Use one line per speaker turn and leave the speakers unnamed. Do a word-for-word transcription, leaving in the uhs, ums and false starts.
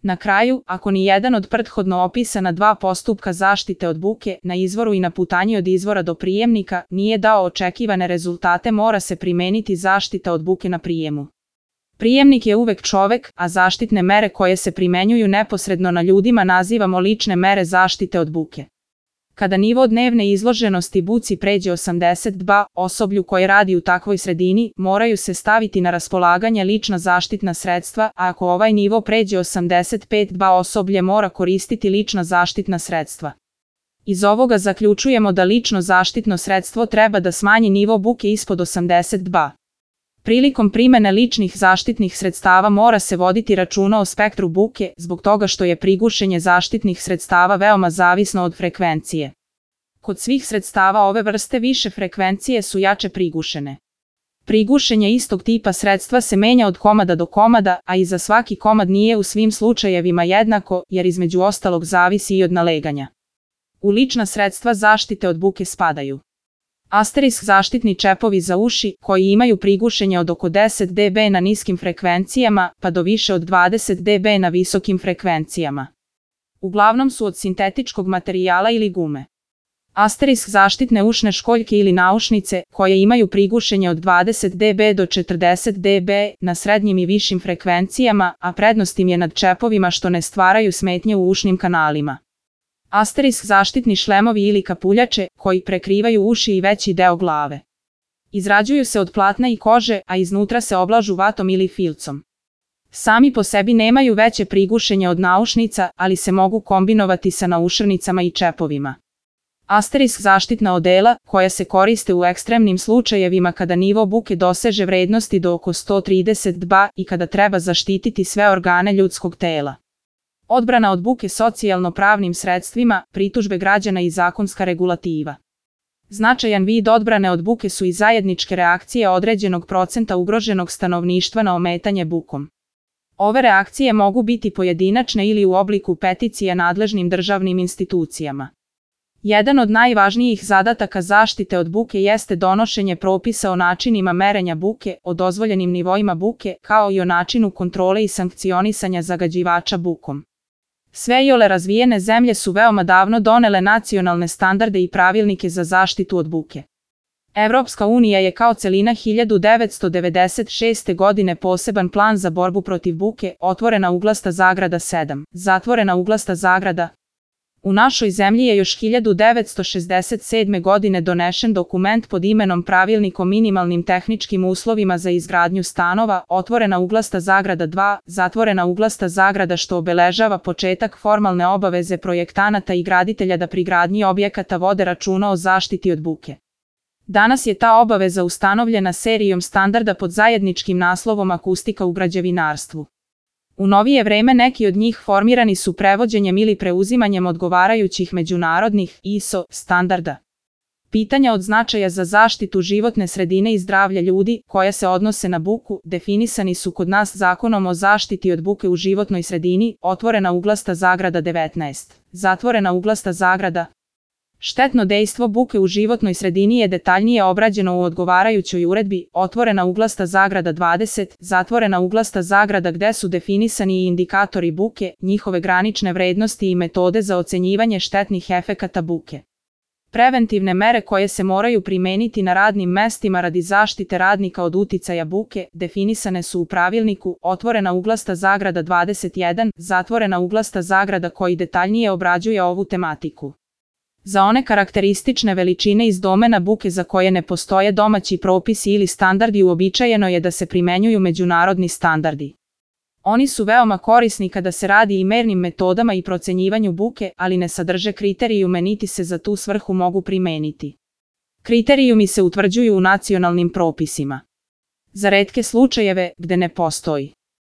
Na kraju, ako ni jedan od prethodno opisana dva postupka zaštite od buke, na izvoru i na putanji od izvora do prijemnika, nije dao očekivane rezultate, mora se primeniti zaštita od buke na prijemu. Prijemnik je uvek čovek, a zaštitne mere koje se primenjuju neposredno na ljudima nazivamo lične mere zaštite od buke. Kada nivo dnevne izloženosti buci pređe osamdeset dva, osoblju koje radi u takvoj sredini moraju se staviti na raspolaganje lična zaštitna sredstva, a ako ovaj nivo pređe osamdeset pet dva, osoblje mora koristiti lična zaštitna sredstva. Iz ovoga zaključujemo da lično zaštitno sredstvo treba da smanji nivo buke ispod osamdeset dva. Prilikom primene ličnih zaštitnih sredstava mora se voditi računa o spektru buke, zbog toga što je prigušenje zaštitnih sredstava veoma zavisno od frekvencije. Kod svih sredstava ove vrste više frekvencije su jače prigušene. Prigušenje istog tipa sredstva se menja od komada do komada, a i za svaki komad nije u svim slučajevima jednako, jer između ostalog zavisi i od naleganja. U lična sredstva zaštite od buke spadaju asterisk zaštitni čepovi za uši, koji imaju prigušenje od oko deset decibela na niskim frekvencijama, pa do više od dvadeset decibela na visokim frekvencijama. Uglavnom su od sintetičkog materijala ili gume. Asterisk zaštitne ušne školjke ili naušnice, koje imaju prigušenje od dvadeset decibela do četrdeset decibela na srednjim i višim frekvencijama, a prednost im je nad čepovima što ne stvaraju smetnje u ušnim kanalima. Asterisk zaštitni šlemovi ili kapuljače, koji prekrivaju uši i veći deo glave. Izrađuju se od platna i kože, a iznutra se oblažu vatom ili filcom. Sami po sebi nemaju veće prigušenje od naušnica, ali se mogu kombinovati sa naušnicama i čepovima. Asterisk zaštitna odela, koja se koriste u ekstremnim slučajevima kada nivo buke doseže vrednosti do oko sto trideset dva i kada treba zaštititi sve organe ljudskog tela. Odbrana od buke socijalno-pravnim sredstvima, pritužbe građana i zakonska regulativa. Značajan vid odbrane od buke su i zajedničke reakcije određenog procenta ugroženog stanovništva na ometanje bukom. Ove reakcije mogu biti pojedinačne ili u obliku peticija nadležnim državnim institucijama. Jedan od najvažnijih zadataka zaštite od buke jeste donošenje propisa o načinima merenja buke, o dozvoljenim nivoima buke, kao i o načinu kontrole i sankcionisanja zagađivača bukom. Sve iole razvijene zemlje su veoma davno donele nacionalne standarde i pravilnike za zaštitu od buke. Evropska unija je kao celina hiljadu devetsto devedeset šeste. godine poseban plan za borbu protiv buke, otvorena uglasta zagrada sedam, zatvorena uglasta zagrada. U našoj zemlji je još hiljadu devetsto šezdeset sedme. godine donešen dokument pod imenom Pravilnik o minimalnim tehničkim uslovima za izgradnju stanova, otvorena uglasta zagrada dva, zatvorena uglasta zagrada, što obeležava početak formalne obaveze projektanata i graditelja da pri gradnji objekata vode računa o zaštiti od buke. Danas je ta obaveza ustanovljena serijom standarda pod zajedničkim naslovom Akustika u građevinarstvu. U novije vreme neki od njih formirani su prevođenjem ili preuzimanjem odgovarajućih međunarodnih I S O standarda. Pitanja od značaja za zaštitu životne sredine i zdravlja ljudi, koja se odnose na buku, definisani su kod nas Zakonom o zaštiti od buke u životnoj sredini, otvorena uglasta zagrada devetnaest, zatvorena uglasta zagrada. Štetno dejstvo buke u životnoj sredini je detaljnije obrađeno u odgovarajućoj uredbi, otvorena uglasta zagrada dvadeset, zatvorena uglasta zagrada, gde su definisani i indikatori buke, njihove granične vrednosti i metode za ocenjivanje štetnih efekata buke. Preventivne mere koje se moraju primeniti na radnim mestima radi zaštite radnika od uticaja buke, definisane su u pravilniku, otvorena uglasta zagrada dvadeset jedan, zatvorena uglasta zagrada, koji detaljnije obrađuje ovu tematiku. Za one karakteristične veličine iz domena buke za koje ne postoje domaći propisi ili standardi, uobičajeno je da se primenjuju međunarodni standardi. Oni su veoma korisni kada se radi i mernim metodama i procenjivanju buke, ali ne sadrže kriterijume niti se za tu svrhu mogu primeniti. Kriterijumi se utvrđuju u nacionalnim propisima. Za retke slučajeve, gde ne postoji